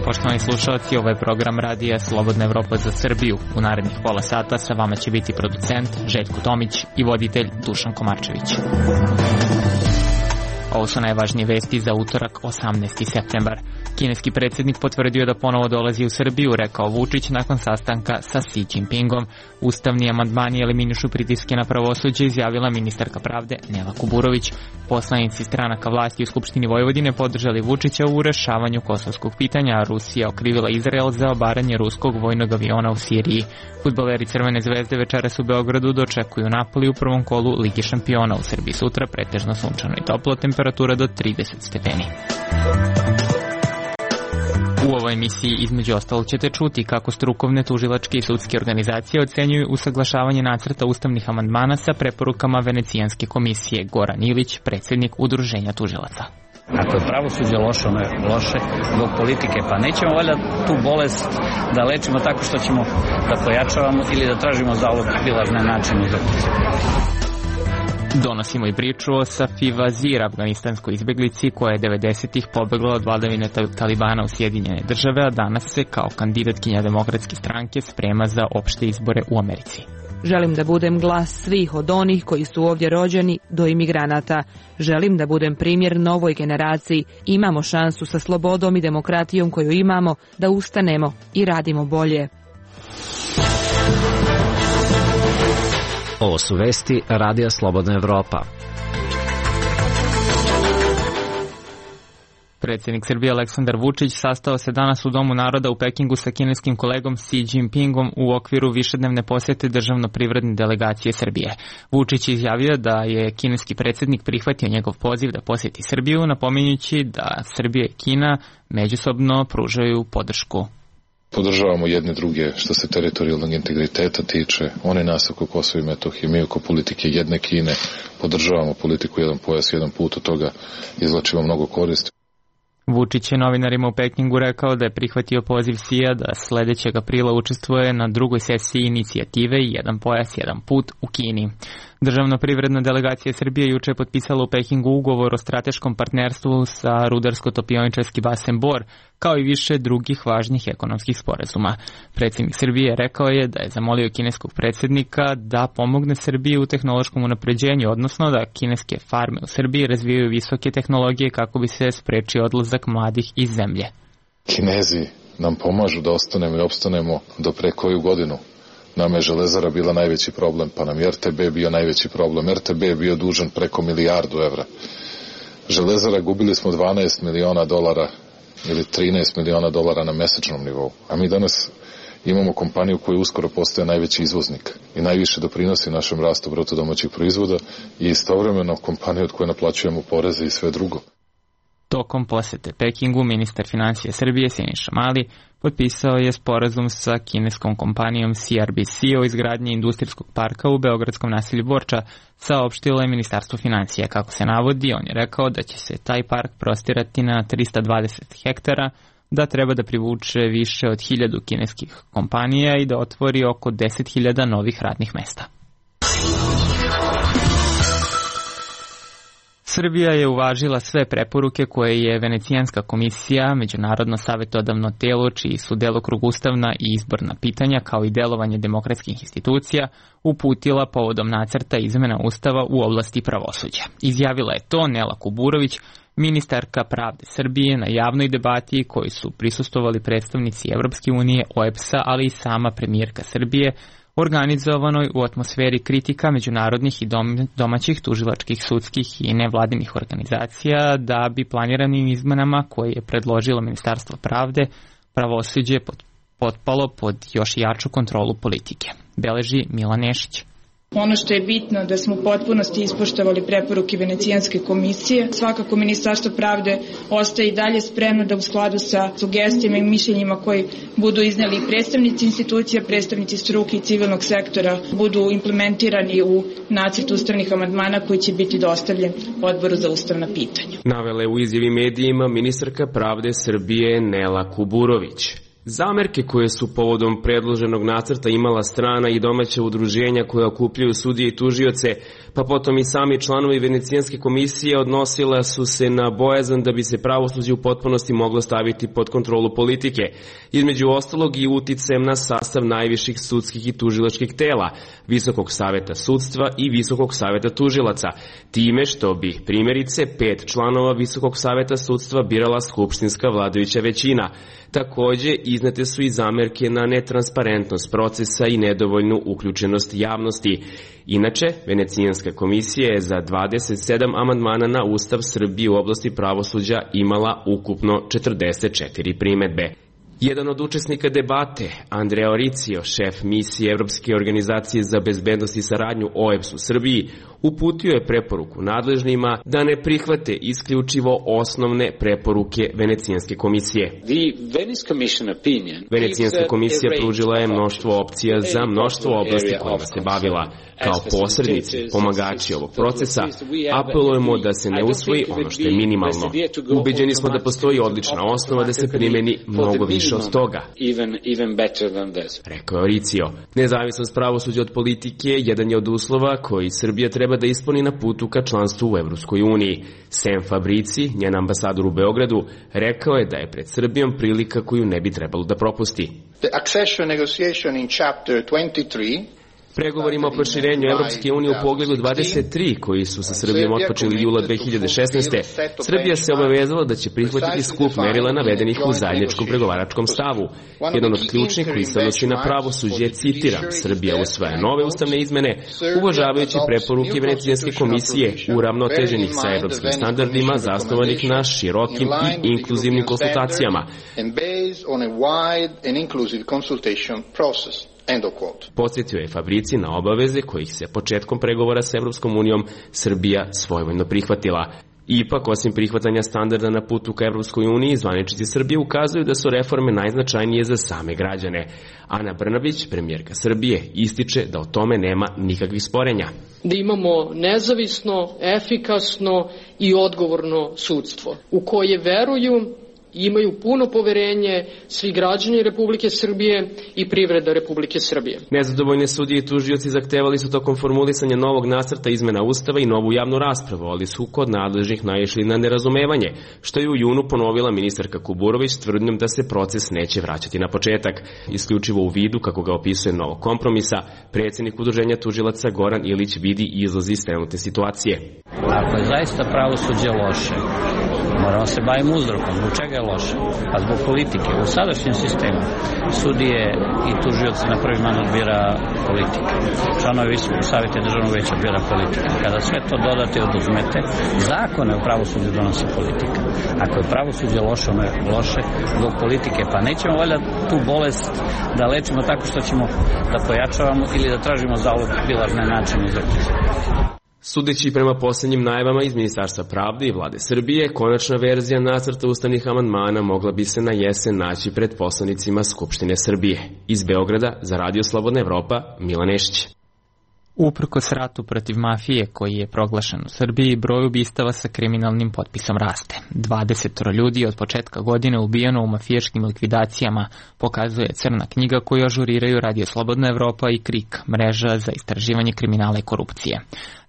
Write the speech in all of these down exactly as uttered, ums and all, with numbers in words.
poštovani slušalci, ovo je program radija Slobodna Evropa za Srbiju. U narednih pola sata sa vama će biti producent Željko Tomić i voditelj Dušan Komarčević. Ovo su najvažnije vesti za utorak, osamnaesti septembar. Kineski predsjednik potvrdio da ponovo dolazi u Srbiju, rekao Vučić nakon sastanka sa Xi Jinpingom. Ustavni amandmani eliminišu pritiske na pravosuđe, izjavila ministarka pravde Nela Kuburović. Poslanici stranaka vlasti u Skupštini Vojvodine podržali Vučića u rešavanju kosovskog pitanja, a Rusija okrivila Izrael za obaranje ruskog vojnog aviona u Siriji. Fudbaleri Crvene zvezde večeras u Beogradu dočekuju Napoli u prvom kolu Ligi šampiona. U Srbiji sutra pretežno sunčano i toplo, temperatura do trideset stepeni. U ovoj emisiji između ostalog ćete čuti kako strukovne tužilačke i sudske organizacije ocenjuju usaglašavanje nacrta ustavnih amandmana sa preporukama Venecijanske komisije. Goran Ilić, predsjednik Udruženja tužilaca. Ako je pravosuđe loše, ono je loše zbog politike, pa nećemo valjda tu bolest da lečimo tako što ćemo da pojačavamo ili da tražimo zalog bilazne načine za Donosimo i priču o Safi Vazir, afganistanskoj izbeglici koja je devedesetih pobegla od vladavine Talibana u Sjedinjene države, a danas se kao kandidatkinja Demokratske stranke sprema za opšte izbore u Americi. Želim da budem glas svih, od onih koji su ovdje rođeni do imigranata. Želim da budem primjer novoj generaciji. Imamo šansu sa slobodom i demokratijom koju imamo da ustanemo i radimo bolje. Ovo su vesti Radija Slobodna Evropa. Predsjednik Srbije Aleksandar Vučić sastao se danas u Domu naroda u Pekingu sa kineskim kolegom Xi Jinpingom u okviru višednevne posjete državno-privredne delegacije Srbije. Vučić je izjavio da je kineski predsjednik prihvatio njegov poziv da posjeti Srbiju, napominjući da Srbija i Kina međusobno pružaju podršku. Podržavamo jedne druge što se teritorijalnog integriteta tiče, one nas oko Kosova i Metohije, mi oko politike jedne Kine, podržavamo politiku jedan pojas, jedan put, od toga izvlačimo mnogo koristi. Vučić je novinarima u Pekingu rekao da je prihvatio poziv Xija da sledećeg aprila učestvuje na drugoj sesiji inicijative Jedan pojas, jedan put u Kini. Državno-privredna delegacija Srbije juče je potpisala u Pekingu ugovor o strateškom partnerstvu sa rudarsko-topioničarski basen Bor, kao i više drugih važnih ekonomskih sporazuma. Predsjednik Srbije rekao je da je zamolio kineskog predsjednika da pomogne Srbiji u tehnološkom unapređenju, odnosno da kineske farme u Srbiji razvijaju visoke tehnologije kako bi se sprečio odlazak mladih iz zemlje. Kinezi nam pomažu da ostanemo i opstanemo do pre koju godinu. Nama je Železara bila najveći problem, pa nam je R T B bio najveći problem. R T B je bio dužan preko milijardu evra. Železara gubili smo dvanaest miliona dolara ili trinaest miliona dolara na mesečnom nivou. A mi danas imamo kompaniju koja uskoro postaje najveći izvoznik i najviše doprinosi našem rastu bruto domaćih proizvoda i istovremeno kompaniju od koje naplaćujemo poreze i sve drugo. Tokom posete Pekingu, ministar financija Srbije Siniša Mali potpisao je sporazum sa kineskom kompanijom C R B C o izgradnji industrijskog parka u beogradskom naselju Borča, saopštilo je Ministarstvo financija. Kako se navodi, on je rekao da će se taj park prostirati na trista dvadeset hektara, da treba da privuče više od hiljadu kineskih kompanija i da otvori oko deset hiljada novih radnih mesta. Srbija je uvažila sve preporuke koje je Venecijanska komisija, međunarodno savjetodavno telo čiji su delokrug ustavna i izborna pitanja kao i delovanje demokratskih institucija, uputila povodom nacrta izmena ustava u oblasti pravosuđa. Izjavila je to Nela Kuburović, ministarka pravde Srbije, na javnoj debati koji su prisustvovali predstavnici Evropske unije, O E B S-a, ali i sama premijerka Srbije, organizovanoj u atmosferi kritika međunarodnih i domaćih tužilačkih, sudskih i nevladinih organizacija da bi planiranim izmenama koje je predložilo Ministarstvo pravde pravosuđe potpalo pod još jaču kontrolu politike. Beleži Milan Nešić. Ono što je bitno da smo u potpunosti ispoštovali preporuke Venecijanske komisije. Svakako Ministarstvo pravde ostaje i dalje spremno da u skladu sa sugestijama i mišljenjima koji budu izneli predstavnici institucija, predstavnici struke i civilnog sektora budu implementirani u nacrt ustavnih amandmana koji će biti dostavljen Odboru za ustavna pitanja. Navele u izjavi medijima ministarka pravde Srbije Nela Kuburović. Zamerke koje su povodom predloženog nacrta imala strana i domaća udruženja koja okupljaju sudije i tužioce, pa potom i sami članovi Venecijanske komisije, odnosila su se na bojazan da bi se pravosuđe u potpunosti moglo staviti pod kontrolu politike, između ostalog i uticajem na sastav najviših sudskih i tužilačkih tela, Visokog saveta sudstva i Visokog saveta tužilaca, time što bi primjerice pet članova Visokog saveta sudstva birala skupštinska vladajuća većina. Takođe, iznete su i zamerke na netransparentnost procesa i nedovoljnu uključenost javnosti. Inače, Venecijanska komisija je za dvadeset sedam amandmana na Ustav Srbije u oblasti pravosuđa imala ukupno četrdeset četiri primedbe. Jedan od učesnika debate, Andrea Oricio, šef misije Evropske organizacije za bezbednost i saradnju O E B S u Srbiji, uputio je preporuku nadležnima da ne prihvate isključivo osnovne preporuke Venecijanske komisije. Venecijanska komisija pružila je mnoštvo opcija za mnoštvo oblasti kojima se bavila. Kao posrednici, pomagači ovog procesa, apelujemo da se ne usvoji ono što je minimalno. Ubeđeni smo da postoji odlična osnova da se primeni mnogo više od toga, rekao je Oricio. Nezavisnost pravosuđa od politike jedan je od uslova koji Srbija treba da ispuni na putu ka članstvu u Evropskoj uniji. Sam Fabrici, njen ambasador u Beogradu, rekao je da je pred Srbijom prilika koju ne bi trebalo da propusti. The accession negotiation in chapter twenty-three Pregovorima o proširenju Evropske unije u pogledu dvadeset tri, koji su sa Srbijom otpočeli jula dve hiljade šesnaeste. Srbija se obavezala da će prihvatiti skup merila navedenih u zajedničkom pregovaračkom stavu. Jedan od ključnih koji se odnosi na pravosuđe, citiram, Srbija usvaja nove ustavne izmene, uvažavajući preporuke Venecijanske komisije, uravnoteženih sa evropskim standardima, zasnovanih na širokim i inkluzivnim konsultacijama. Podsjetio je Fabrici na obaveze kojih se početkom pregovora s Evropskom unijom Srbija svojevoljno prihvatila. Ipak, osim prihvatanja standarda na putu ka Evropskoj uniji, zvaničnici Srbije ukazuju da su reforme najznačajnije za same građane. Ana Brnabić, premijerka Srbije, ističe da o tome nema nikakvih sporenja. Da imamo nezavisno, efikasno i odgovorno sudstvo u koje veruju imaju puno poverenje svi građani Republike Srbije i privreda Republike Srbije. Nezadovoljne sudije i tužioci zahtevali su tokom formulisanja novog nacrta izmena Ustava i novu javnu raspravu, ali su kod nadležnih naišli na nerazumevanje, što je u junu ponovila ministarka Kuburović s tvrdnjom da se proces neće vraćati na početak. Isključivo u vidu, kako ga opisuje novog kompromisa, predsjednik Udruženja tužilaca Goran Ilić vidi izlazi iz trenutne situacije. Ako je zaista pravosuđe loše, moramo se baviti uzrokom. Zbog čega je loše? Pa zbog politike. U sadašnjem sistemu sudije i tužioci na prvi mandat bira politika. Članovi Visokog saveta državnog veća bira politika. Kada sve to dodate i oduzmete, zakone u pravosuđu donosi politika. Ako je pravosuđe loše, ono je loše zbog politike. Pa nećemo valjda tu bolest da lečimo tako što ćemo da pojačavamo ili da tražimo zalog bilažne načine za krizu. Sudeći prema posljednjim najavama iz Ministarstva pravde i vlade Srbije, konačna verzija nacrta ustavnih amandmana mogla bi se na jesen naći pred poslanicima Skupštine Srbije. Iz Beograda za Radio Slobodna Evropa, Milan Nešić. Uprkos ratu protiv mafije koji je proglašen u Srbiji, broj ubistava sa kriminalnim potpisom raste. dvadeset ljudi od početka godine ubijeno u mafijaškim likvidacijama, pokazuje crna knjiga koju ažuriraju Radio Slobodna Evropa i KRIK, mreža za istraživanje kriminala i korupcije.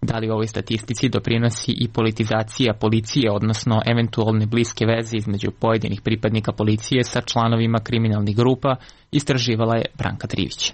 Da li ovoj statistici doprinosi i politizacija policije, odnosno eventualne bliske veze između pojedinih pripadnika policije sa članovima kriminalnih grupa, istraživala je Branka Trivić.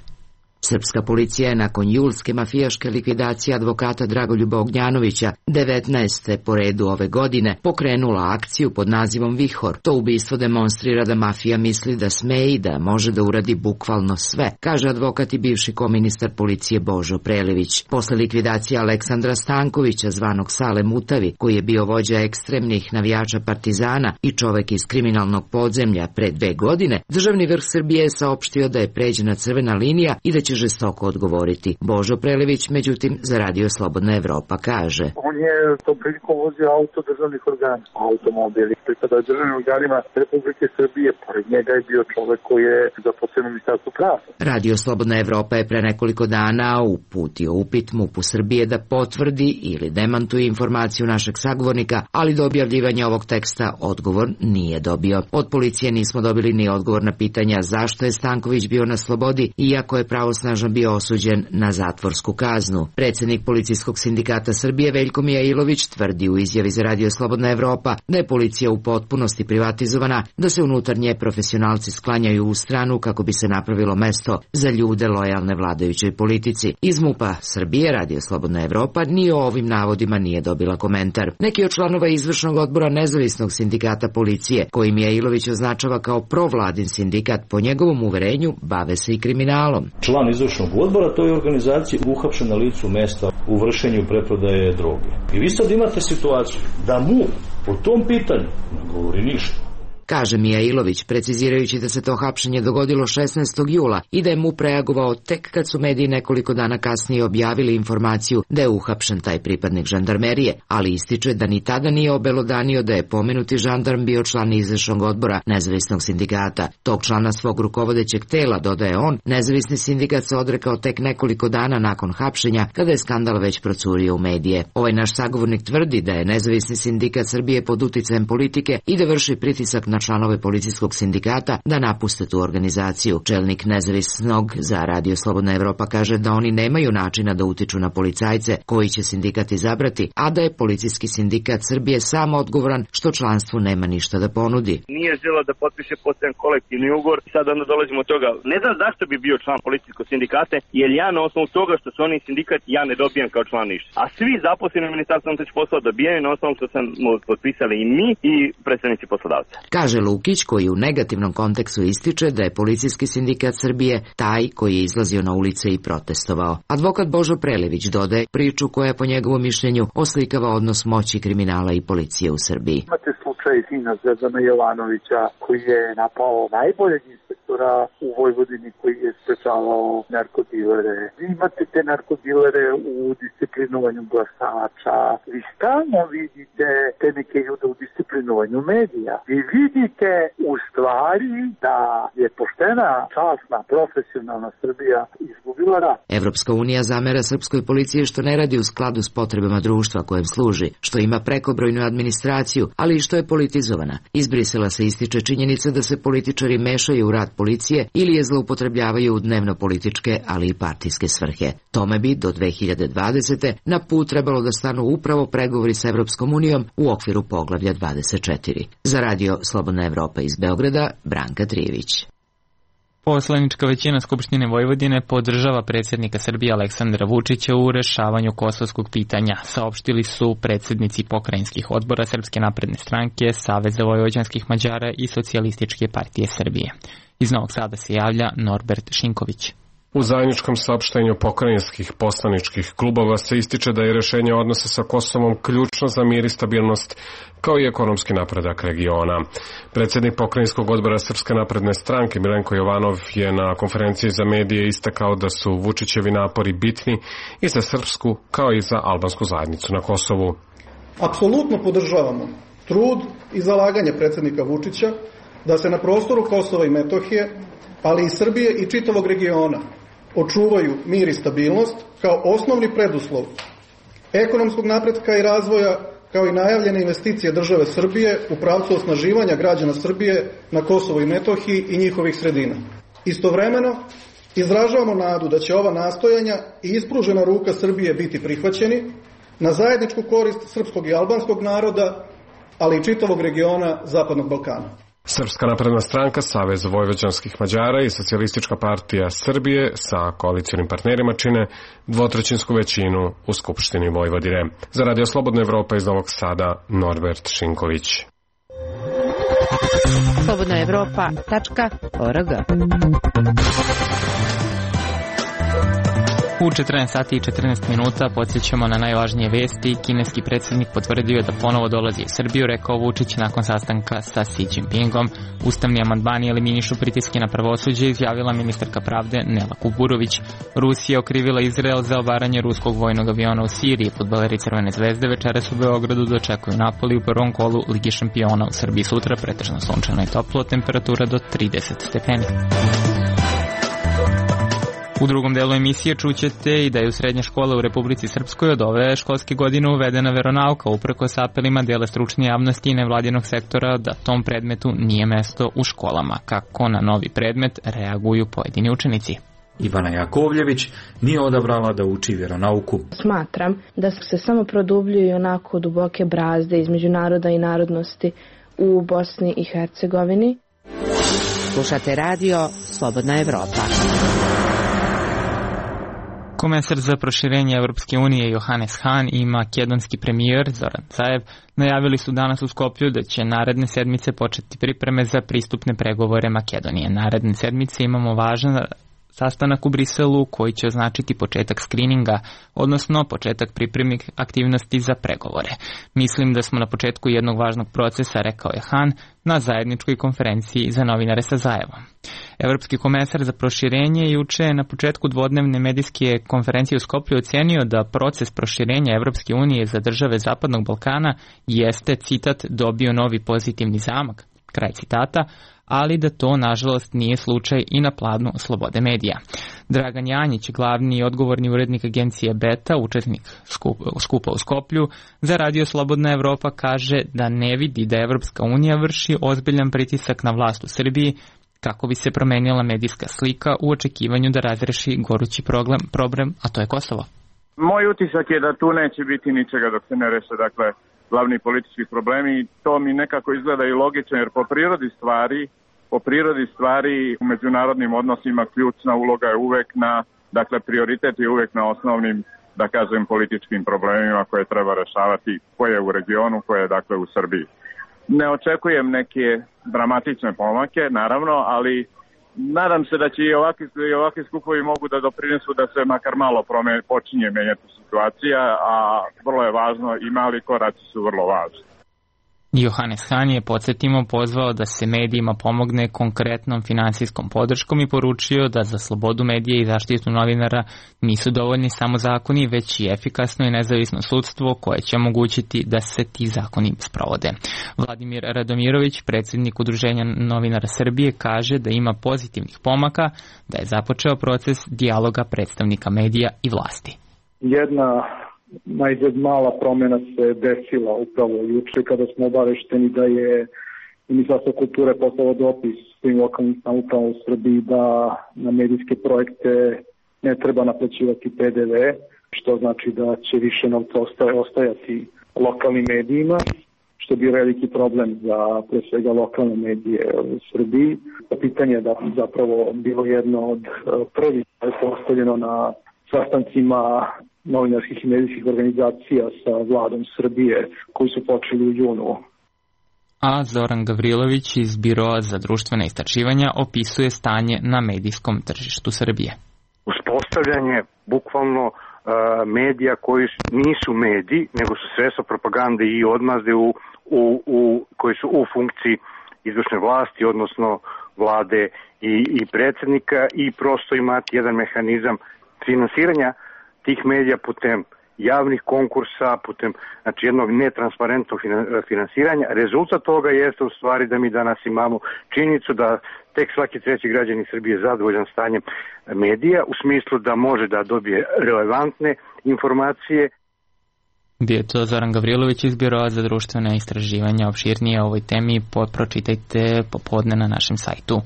Srpska policija je nakon julske mafijaške likvidacije advokata Dragoljuba Ognjanovića, devetnaeste po redu ove godine, pokrenula akciju pod nazivom Vihor. To ubistvo demonstrira da mafija misli da sme i da može da uradi bukvalno sve, kaže advokat i bivši koministar policije Božo Prelević. Posle likvidacije Aleksandra Stankovića, zvanog Sale Mutavi, koji je bio vođa ekstremnih navijača Partizana i čovek iz kriminalnog podzemlja pre dve godine, državni vrh Srbije je saopštio da je pređena crvena linija i da će će žestoko odgovoriti. Božo Prelević, međutim, za Radio Slobodna Evropa kaže: On je tom prilikom vozio auto državnih organa, automobili, pripada državnim organima Republike Srbije, pored njega je bio čovek koji je zaposlen u Ministarstvu pravde. Radio Slobodna Evropa je pre nekoliko dana uputio upit MUP-u Srbije da potvrdi ili demantuje informaciju našeg sagovornika, ali do objavljivanja ovog teksta odgovor nije dobio. Od policije nismo dobili ni odgovor na pitanja zašto je Stanković bio na slobodi, iako je pravosnažno bio osuđen na zatvorsku kaznu. Predsednik Policijskog sindikata Srbije Veljko Mijailović tvrdi u izjavi za Radio Slobodna Evropa da je policija u potpunosti privatizovana, da se unutar nje profesionalci sklanjaju u stranu kako bi se napravilo mesto za ljude lojalne vladajućoj politici. Iz MUP-a Srbije Radio Slobodna Evropa ni o ovim navodima nije dobila komentar. Neki od članova izvršnog odbora nezavisnog sindikata policije, koji Mijailović označava kao provladin sindikat, po njegovom uverenju bave se i kriminalom. Član izvršnog odbora toj organizaciji uhapšen na licu mesta u vršenju preprodaje droge. I vi sad imate situaciju da MUP po tom pitanju ne govori ništa. Kaže Mijailović, precizirajući da se to hapšenje dogodilo šesnaestog jula i da je MUP reagovao tek kad su mediji nekoliko dana kasnije objavili informaciju da je uhapšen taj pripadnik žandarmerije, ali ističe da ni tada nije obelodanio da je pomenuti žandarm bio član izvršnog odbora nezavisnog sindikata. Tog člana svog rukovodećeg tela, dodaje on, nezavisni sindikat se odrekao tek nekoliko dana nakon hapšenja, kada je skandal već procurio u medije. Ovaj naš sagovornik tvrdi da je nezavisni sindikat Srbije pod uticajem politike i da vrši pritisak na članove policijskog sindikata da napuste tu organizaciju. Čelnik nezavisnog za Radio Slobodna Evropa kaže da oni nemaju načina da utiču na policajce koji će sindikat izabrati, a da je policijski sindikat Srbije sam odgovoran što članstvu nema ništa da ponudi. Nije želeo da potpiše postojan kolektivni ugovor, sad onda dolazimo od toga. Ne znam zašto bi bio član policijskog sindikata, jer ja na osnovu toga što su oni sindikat, ja ne dobijam kao član ništa. A svi zaposleni u Ministarstvu unutrašnjih poslova dobijaju na osnovu što sam potpisali i mi i predstavnici poslodavca. Kaže Lukić, koji u negativnom kontekstu ističe da je policijski sindikat Srbije taj koji je izlazio na ulice i protestovao. Advokat Božo Prelević dodaje priču koja po njegovom mišljenju oslikava odnos moći kriminala i policije u Srbiji. Imate slučaj sina Zvezdana Jovanovića koji je napao najboljeg inspektora u Vojvodini koji je sprečavao narkodilere. Vi imate te narkodilere u disciplinovanju glasača. Vi stalno vidite te neke ljude u disciplinovanju medija. Vi vidite u stvari da je poštena, časna, profesionalna Srbija izgubila rat. Evropska unija zamera srpskoj policiji što ne radi u skladu s potrebama društva kojem služi, što ima prekobrojnu administraciju, ali i što je politizovana. Iz Brisela se ističe činjenica da se političari mešaju u rad policije ili je zloupotrebljavaju u dnevno-političke, ali i partijske svrhe. Tome bi do dve hiljade dvadesete na put trebalo da stanu upravo pregovori s Evropskom unijom u okviru poglavlja dvadeset četiri. Za Radio Slobodna Evropa iz Beograda, Branka Trijević. Poslanička većina Skupštine Vojvodine podržava predsjednika Srbije Aleksandra Vučića u rešavanju kosovskog pitanja, saopštili su predsjednici pokrajinskih odbora Srpske napredne stranke, Saveza vojvođanskih Mađara i Socijalističke partije Srbije. Iz Novog Sada se javlja Norbert Šinković. U zajedničkom saopštenju pokrajinskih poslaničkih klubova se ističe da je rešenje odnosa sa Kosovom ključno za mir i stabilnost, kao i ekonomski napredak regiona. Predsjednik pokrajinskog odbora Srpske napredne stranke Milenko Jovanov je na konferenciji za medije istakao da su Vučićevi napori bitni i za srpsku kao i za albansku zajednicu na Kosovu. Apsolutno podržavamo trud i zalaganje predsjednika Vučića da se na prostoru Kosova i Metohije, ali i Srbije i čitavog regiona, očuvaju mir i stabilnost kao osnovni preduslov ekonomskog napretka i razvoja, kao i najavljene investicije države Srbije u pravcu osnaživanja građana Srbije na Kosovu i Metohiji i njihovih sredina. Istovremeno, izražavamo nadu da će ova nastojanja i ispružena ruka Srbije biti prihvaćeni na zajedničku korist srpskog i albanskog naroda, ali i čitavog regiona Zapadnog Balkana. Srpska napredna stranka, Savez vojvođanskih Mađara i Socijalistička partija Srbije sa koalicionim partnerima čine dvotrećinsku većinu u Skupštini Vojvodine. Za Radio Slobodna Evropa iz Novog Sada, Norbert Šinković. slobodna evropa tačka org. U četrnaest sati i četrnaest minuta podsjećamo na najvažnije vesti. Kineski predsjednik potvrdio da ponovo dolazi u Srbiju, rekao Vučić nakon sastanka sa Xi Jinpingom. Ustavni amandmani eliminišu pritiske na pravosuđe, izjavila ministarka pravde Nela Kuburović. Rusija okrivila Izrael za obaranje ruskog vojnog aviona u Siriji. Fudbaleri Crvene zvezde večeras u Beogradu dočekuju Napoli u prvom kolu Ligi šampiona. U Srbiji sutra pretežno sunčano i toplo, temperatura do trideset stepeni. U drugom delu emisije čućete i da je u srednje škole u Republici Srpskoj od ove školske godine uvedena veronauka, uprkos apelima dela stručne javnosti i nevladinog sektora da tom predmetu nije mesto u školama. Kako na novi predmet reaguju pojedini učenici? Ivana Jakovljević nije odabrala da uči vjeronauku. Smatram da se samo produbljuju onako duboke brazde između naroda i narodnosti u Bosni i Hercegovini. Slušate radio Slobodna Evropa. Komesar za proširenje Evropske unije Johannes Hahn i makedonski premijer Zoran Zaev najavili su danas u Skoplju da će naredne sedmice početi pripreme za pristupne pregovore Makedonije. Naredne sedmice imamo važan sastanak u Briselu koji će označiti početak skrininga, odnosno početak pripremnih aktivnosti za pregovore. Mislim da smo na početku jednog važnog procesa, rekao je Hahn na zajedničkoj konferenciji za novinare sa Zaevom. Evropski komesar za proširenje juče na početku dvodnevne medijske konferencije u Skoplju ocenio da proces proširenja Evropske unije za države Zapadnog Balkana jeste, citat, dobio novi pozitivni zamak, kraj citata, ali da to, nažalost, nije slučaj i na planu slobode medija. Dragan Janjić, glavni i odgovorni urednik agencije Beta, učesnik skupa u Skoplju, za Radio Slobodna Evropa kaže da ne vidi da Evropska unija vrši ozbiljan pritisak na vlast u Srbiji kako bi se promenila medijska slika u očekivanju da razreši gorući problem, problem, a to je Kosovo. Moj utisak je da tu neće biti ničega dok se ne reše, dakle, glavni politički problemi. To mi nekako izgleda i logično, jer po prirodi stvari, po prirodi stvari u međunarodnim odnosima ključna uloga je uvek na, dakle, prioritet je uvek na osnovnim, da kažem, političkim problemima koje treba rešavati, koje je u regionu, koje je, dakle, u Srbiji. Ne očekujem neke dramatične pomake, naravno, ali nadam se da će i ovakvi, i ovakvi skupovi mogu da doprinesu da se makar malo promeni, počinje menjati situacija, a vrlo je važno i mali koraci su vrlo važni. Johannes Hahn je, podsjetimo, pozvao da se medijima pomogne konkretnom finansijskom podrškom i poručio da za slobodu medija i zaštitu novinara nisu dovoljni samo zakoni, već i efikasno i nezavisno sudstvo koje će omogućiti da se ti zakoni sprovode. Vladimir Radomirović, predsjednik Udruženja novinara Srbije, kaže da ima pozitivnih pomaka, da je započeo proces dijaloga predstavnika medija i vlasti. Jedna najzad mala promjena se desila upravo juče kada smo obavešteni da je Ministarstvo kulture poslalo dopis svim lokalnim samoupravama u Srbiji da na medijske projekte ne treba naplaćivati P D V, što znači da će više novca ostajati lokalnim medijima, što bi veliki problem za pre svega lokalne medije u Srbiji. Pitanje je da zapravo bilo jedno od prvih koje je postavljeno na sastancima novinarskih i medijskih organizacija sa vladom Srbije koji su počeli u junu. A Zoran Gavrilović iz Biroa za društvene istraživanja opisuje stanje na medijskom tržištu Srbije. Uspostavljanje bukvalno uh, medija koji nisu mediji, nego su sredstva propagande i odmazde u, u, u, koji su u funkciji izvršne vlasti, odnosno vlade i, i predsjednika, i prosto imati jedan mehanizam finansiranja tih medija putem javnih konkursa, putem, znači, jednog netransparentnog finansiranja. Rezultat toga jeste u stvari da mi danas imamo činjenicu da tek svaki treći građanin Srbije je zadovoljan stanjem medija, u smislu da može da dobije relevantne informacije. Bio je to Zoran Gavrilović iz Biroa za društvene istraživanja. Opširnije o ovoj temi pročitajte popodne na našem sajtu.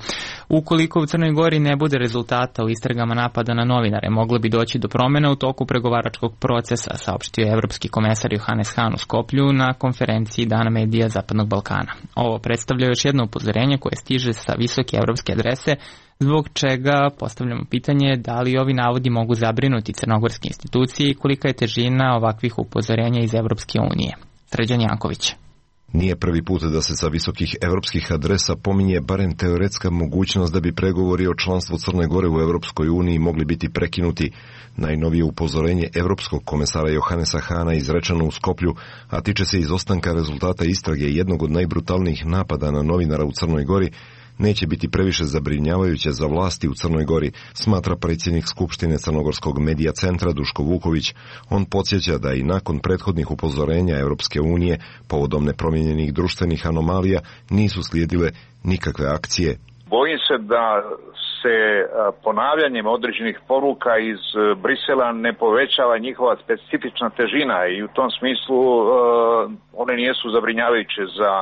Ukoliko u Crnoj Gori ne bude rezultata u istragama napada na novinare, moglo bi doći do promjena u toku pregovaračkog procesa, saopštio je evropski komesar Johannes Hahn u Skoplju na konferenciji Dana medija Zapadnog Balkana. Ovo predstavlja još jedno upozorenje koje stiže sa visoke evropske adrese, zbog čega postavljamo pitanje da li ovi navodi mogu zabrinuti crnogorske institucije i kolika je težina ovakvih upozorenja iz Evropske unije. Sređan Janković. Nije prvi put da se sa visokih evropskih adresa pominje barem teoretska mogućnost da bi pregovori o članstvu Crne Gore u Evropskoj uniji mogli biti prekinuti. Najnovije upozorenje Evropskog komesara Johannesa Hana izrečeno u Skoplju, a tiče se izostanka rezultata istrage jednog od najbrutalnijih napada na novinara u Crnoj Gori, neće biti previše zabrinjavajuće za vlasti u Crnoj Gori, smatra predsjednik Skupštine Crnogorskog medija centra Duško Vuković. On podsjeća da i nakon prethodnih upozorenja Evropske unije povodom nepromijenjenih društvenih anomalija nisu slijedile nikakve akcije. Bojim se da se ponavljanjem određenih poruka iz Brisela ne povećava njihova specifična težina i u tom smislu one nisu zabrinjavajuće za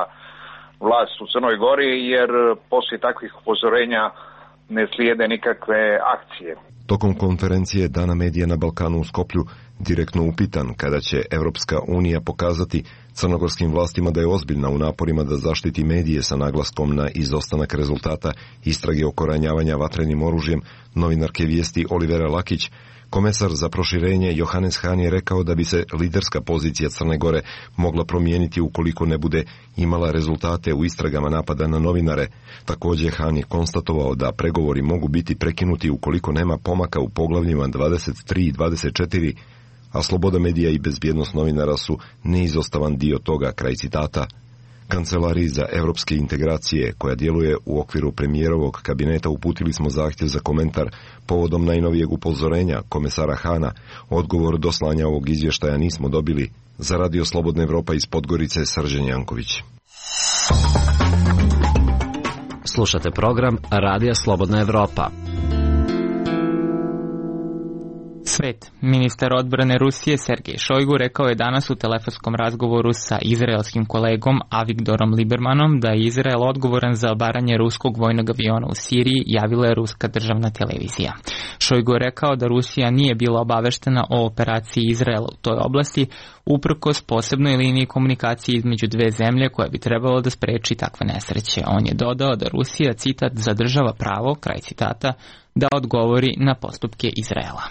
vlast u Crnoj Gori, jer poslije takvih upozorenja ne slijede nikakve akcije. Tokom konferencije Dana medija na Balkanu u Skoplju direktno upitan kada će Evropska unija pokazati crnogorskim vlastima da je ozbiljna u naporima da zaštiti medije sa naglaskom na izostanak rezultata istrage oko ranjavanja vatrenim oružjem novinarke Vijesti Olivera Lakić, komesar za proširenje Johannes Hahn je rekao da bi se liderska pozicija Crne Gore mogla promijeniti ukoliko ne bude imala rezultate u istragama napada na novinare. Također Hahn je konstatovao da pregovori mogu biti prekinuti ukoliko nema pomaka u poglavljima dvadeset tri i dvadeset četiri, a sloboda medija i bezbjednost novinara su neizostavan dio toga, kraj citata. Kancelariji za evropske integracije, koja djeluje u okviru premijerovog kabineta, uputili smo zahtjev za komentar povodom najnovijeg upozorenja komesara Hana. Odgovor do slanja ovog izvještaja nismo dobili. Za Radio Slobodna Evropa iz Podgorice, Srđan Janković. Slušate program Radija Slobodna Evropa. Svet. Ministar odbrane Rusije Sergej Šojgu rekao je danas u telefonskom razgovoru sa izraelskim kolegom Avigdorom Libermanom da je Izrael odgovoran za obaranje ruskog vojnog aviona u Siriji, javila je ruska državna televizija. Šojgu je rekao da Rusija nije bila obaveštena o operaciji Izraela u toj oblasti, uprkos posebnoj liniji komunikacije između dve zemlje koja bi trebalo da spreči takve nesreće. On je dodao da Rusija, citat, zadržava pravo, kraj citata, da odgovori na postupke Izraela.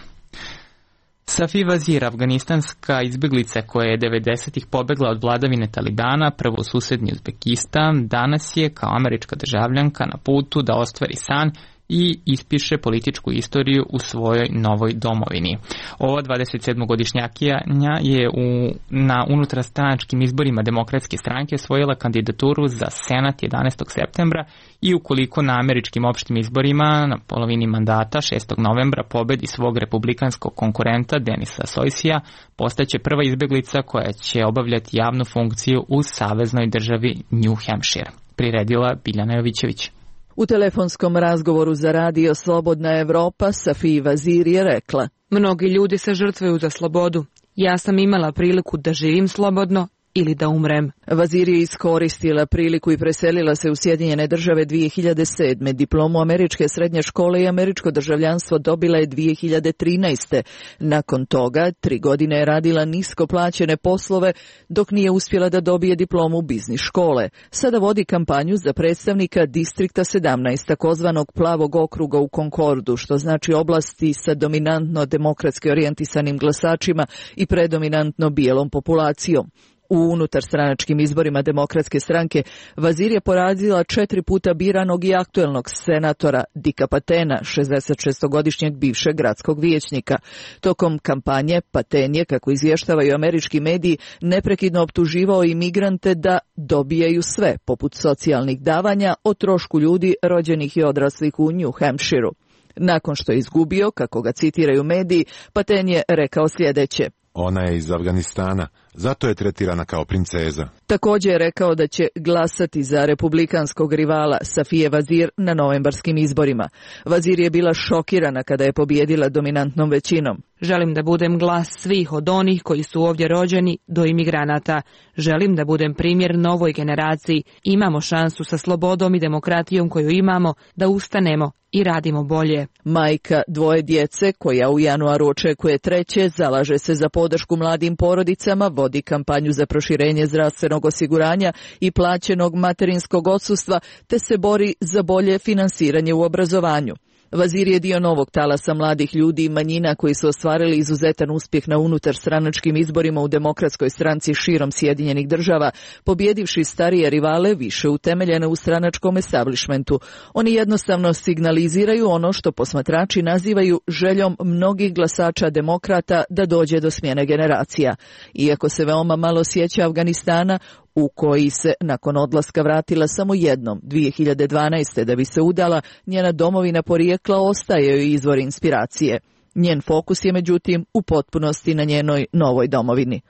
Safi Vazir, afganistanska izbjeglica koja je devedesetih pobegla od vladavine Talibana, prvo u susednji Uzbekistan, danas je kao američka državljanka na putu da ostvari san i ispiše političku istoriju u svojoj novoj domovini. Ova dvadesetsedmogodišnjakinja je u, na unutarstranačkim izborima Demokratske stranke osvojila kandidaturu za Senat jedanaestog septembra i ukoliko na američkim opštim izborima na polovini mandata šestog novembra pobedi svog republikanskog konkurenta Denisa Sojsija, postaće prva izbjeglica koja će obavljati javnu funkciju u saveznoj državi New Hampshire. Priredila Biljana Jovićević. U telefonskom razgovoru za Radio Slobodna Evropa Safi Vazir je rekla: mnogi ljudi se žrtvuju za slobodu. Ja sam imala priliku da živim slobodno ili da umrem. Vazir je iskoristila priliku i preselila se u Sjedinjene države dvije hiljade sedme. Diplomu američke srednje škole i američko državljanstvo dobila je dvije hiljade trinaeste. Nakon toga, tri godine je radila nisko plaćene poslove, dok nije uspjela da dobije diplomu biznis škole. Sada vodi kampanju za predstavnika Distrikta sedamnaest, takozvanog plavog okruga u Concordu, što znači oblasti sa dominantno demokratski orijentisanim glasačima i predominantno bijelom populacijom. U unutarstranačkim izborima Demokratske stranke Vazir je porazila četiri puta biranog i aktuelnog senatora Dika Patena, šezdesetšestogodišnjeg bivšeg gradskog vijećnika. Tokom kampanje Paten je, kako izvještavaju američki mediji, neprekidno optuživao imigrante da dobijaju sve, poput socijalnih davanja, o trošku ljudi rođenih i odraslih u New Hampshireu. Nakon što je izgubio, kako ga citiraju mediji, Paten je rekao sljedeće: ona je iz Afganistana, zato je tretirana kao princeza. Također je rekao da će glasati za republikanskog rivala Safije Vazir na novembarskim izborima. Vazir je bila šokirana kada je pobijedila dominantnom većinom. Želim da budem glas svih, od onih koji su ovdje rođeni do imigranata. Želim da budem primjer novoj generaciji. Imamo šansu sa slobodom i demokratijom koju imamo da ustanemo i radimo bolje. Majka dvoje djece, koja u januaru očekuje treće, zalaže se za podršku mladim porodicama, vodi kampanju za proširenje zdravstvenog osiguranja i plaćenog materinskog odsustva, te se bori za bolje finansiranje u obrazovanju. Vazir je dio novog talasa mladih ljudi i manjina koji su ostvarili izuzetan uspjeh na unutarstranačkim izborima u demokratskoj stranci širom Sjedinjenih država, pobjedivši starije rivale više utemeljene u stranačkom establishmentu. Oni jednostavno signaliziraju ono što posmatrači nazivaju željom mnogih glasača demokrata da dođe do smjene generacija. Iako se veoma malo sjeća Afganistana, u koji se nakon odlaska vratila samo jednom, dvije hiljade dvanaeste. da bi se udala, njena domovina porijekla ostaje joj izvor inspiracije. Njen fokus je međutim u potpunosti na njenoj novoj domovini.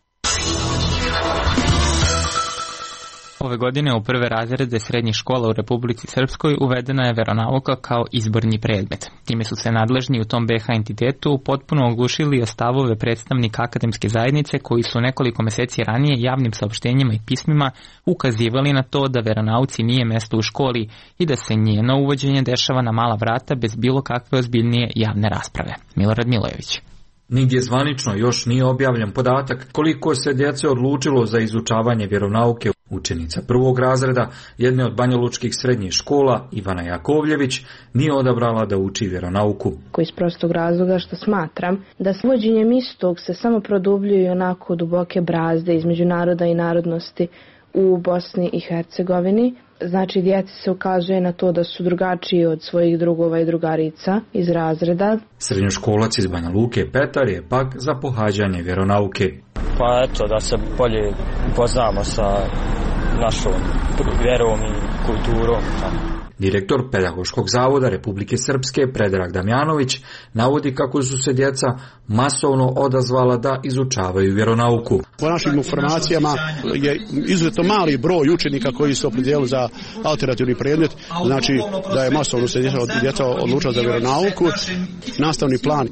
Ove godine u prve razrede srednjih škola u Republici Srpskoj uvedena je veronauka kao izborni predmet. Time su se nadležni u tom be ha entitetu potpuno oglušili o stavove predstavnika akademske zajednice koji su nekoliko meseci ranije javnim saopštenjima i pismima ukazivali na to da veronauci nije mesto u školi i da se njeno uvođenje dešava na mala vrata bez bilo kakve ozbiljnije javne rasprave. Milorad Milojević. Nigdje zvanično još nije objavljen podatak koliko se djece odlučilo za izučavanje vjeronauke. Učenica prvog razreda jedne od banjalučkih srednjih škola, Ivana Jakovljević, nije odabrala da uči vjeronauku. Iz prostog razloga što smatram da s uvođenjem istog se samo produbljuju onako duboke brazde između naroda i narodnosti u Bosni i Hercegovini. Znači, djeci se ukazuje na to da su drugačiji od svojih drugova i drugarica iz razreda. Srednjoškolac iz Banja Luke Petar je pak za pohađanje vjeronauke. Pa eto, da se bolje upoznamo sa našom vjerom i kulturom. Direktor Pedagoškog zavoda Republike Srpske Predrag Damjanović navodi kako su se djeca masovno odazvala da izučavaju vjeronauku. Po našim informacijama je izuzetno mali broj učenika koji su opredijelili za alternativni predmet, znači da je masovno se djeca odlučila za vjeronauku. Nastavni plan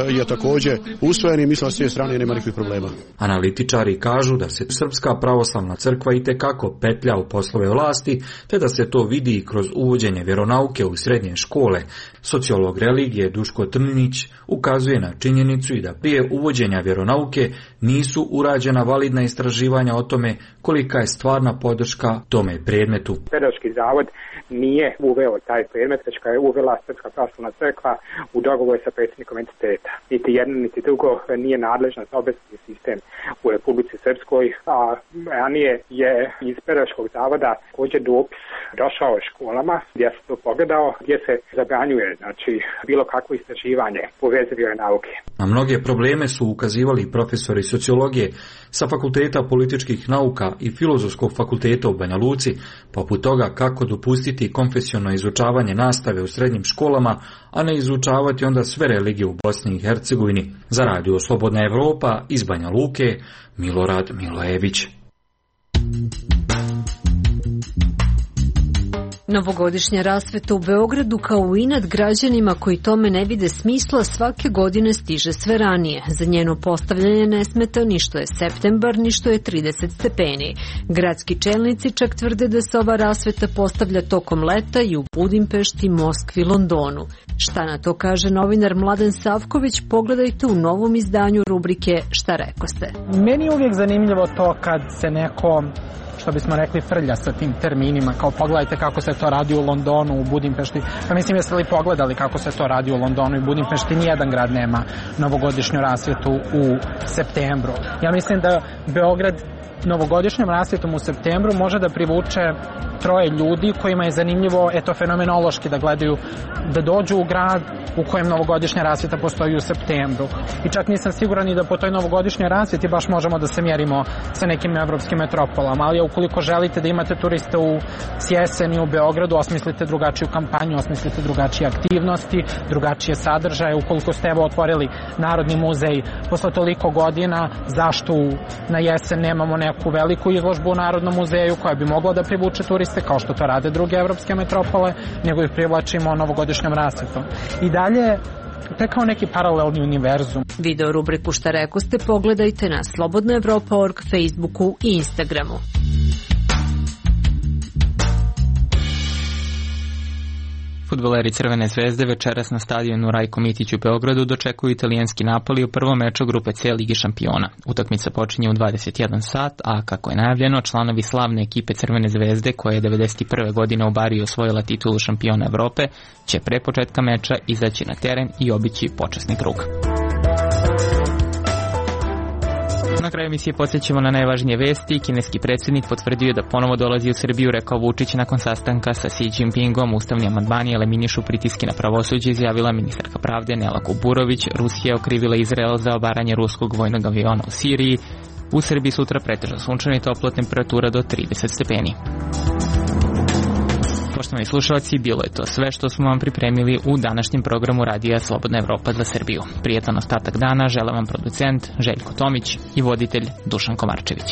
je također usvojen i mislim da s te strane nema nikakvih problema. Analitičari kažu da se Srpska pravoslavna crkva itekako petlja u poslove vlasti, te da se to vidi kroz uvođenje vjeronauke u srednje škole. Sociolog religije Duško Trninić ukazuje na činjenicu i da prije uvođenja vjeronauke nisu urađena validna istraživanja o tome kolika je stvarna podrška tome predmetu. Pedagoški zavod nije uveo taj predmet, već ga je uvela Srpska pravoslavna crkva u dogovoru sa predsjednikom entiteta. Niti jedno, niti drugo nije nadležna za obrazovni sistem u Republici Srpskoj, a ranije je iz Pedagoškog zavoda također dopis došao školama gdje se to pogledao, gdje se zabranjuje znači bilo kakvo istraživanje u vezi vjeronauke. Na mnoge probleme su ukazivali profesori sociologije sa Fakulteta političkih nauka i Filozofskog fakulteta u Banja Luci, poput toga kako dopustiti konfesionalno izučavanje nastave u srednjim školama, a ne izučavati onda sve religije u Bosni i Hercegovini. Za Radio Slobodna Evropa iz Banja Luke, Milorad Milojević. Novogodišnja rasveta u Beogradu kao inat građanima koji tome ne vide smisla svake godine stiže sve ranije. Za njeno postavljanje ne smeta ni što je septembar, ni što je trideset stepeni. Gradski čelnici čak tvrde da se ova rasveta postavlja tokom leta i u Budimpešti, Moskvi, Londonu. Šta na to kaže novinar Mladen Savković, pogledajte u novom izdanju rubrike Šta rekoste. Meni je uvijek zanimljivo to kad se neko, što bismo rekli, frlja sa tim terminima, kao pogledajte kako se to radi u Londonu, u Budimpešti. Pa mislim, jeste li pogledali kako se to radi u Londonu i Budimpešti? Nijedan grad nema novogodišnju rasvjetu u septembru. Ja mislim da Beograd novogodišnjom rasvjetom u septembru može da privuče troje ljudi kojima je zanimljivo, eto, fenomenološki da gledaju, da dođu u grad u kojem novogodišnja rasvjeta postoji u septembru. I čak nisam siguran i da po toj novogodišnjoj rasvjeti baš možemo da se mjerimo sa nekim evropskim metropolama, ali ukoliko želite da imate turiste u jeseni u Beogradu, osmislite drugačiju kampanju, osmislite drugačije aktivnosti, drugačije sadržaje. Ukoliko ste evo otvorili Narodni muzej posle toliko godina, zašto na jesen nemamo neku veliku izložbu u Narodnom muzeju koja bi mogla da privuče turiste kao što to rade druge evropske metropole, nego ih privlačimo novogodišnjom rasvjetom. I dalje, to je kao neki paralelni univerzum. Video rubriku Šta rekoste pogledajte na slobodna evropa tačka org, Facebooku i Instagramu. Fudbaleri Crvene zvezde večeras na stadionu Rajko Mitić u Beogradu dočekuju italijanski Napoli u prvom meču grupe C Lige šampiona. Utakmica počinje u dvadeset jedan sat, a kako je najavljeno, članovi slavne ekipe Crvene zvezde, koja je devedeset prve godine u Bariji osvojila titulu šampiona Evrope, će pre početka meča izaći na teren i obići počasni krug. Na kraju emisije podsjećamo na najvažnije vesti. Kineski predsjednik potvrdio da ponovo dolazi u Srbiju, rekao Vučić nakon sastanka sa Xi Jinpingom. Ustavni amandmani eliminišu pritiske na pravosuđe, izjavila ministarka pravde Nela Kuburović. Rusija je okrivila Izrael za obaranje ruskog vojnog aviona u Siriji. U Srbiji sutra pretežno sunčano i toplo, temperatura do trideset stepeni. Poštovani slušalci, bilo je to sve što smo vam pripremili u današnjem programu Radija Slobodna Evropa za Srbiju. Prijetan ostatak dana žele vam producent Željko Tomić i voditelj Dušan Komarčević.